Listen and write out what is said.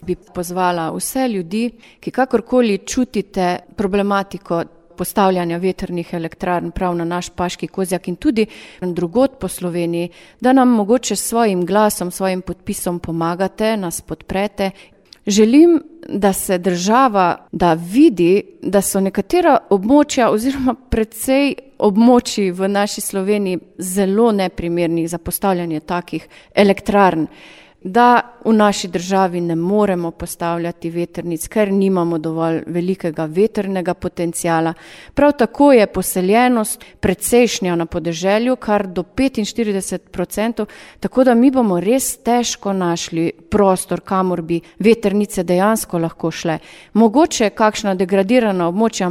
Bi pozvala vse ljudi, ki kakorkoli čutite problematiko postavljanja vetrnih elektrarn prav na naš Paški Kozjak in tudi drugod po Sloveniji, da nam mogoče s svojim glasom, svojim podpisom pomagate, nas podprete. Želim, da se država vidi, da so nekatera območja oziroma precej območij v naši Sloveniji zelo neprimernih za postavljanje takih elektrarn, da v naši državi ne moremo postavljati vetrnic, ker nimamo dovolj velikega vetrnega potencijala. Prav tako je poseljenost precejšnja na podeželju, kar do 45%, tako da mi bomo res težko našli prostor, kamor bi vetrnice dejansko lahko šle. Mogoče kakšna degradirana območja,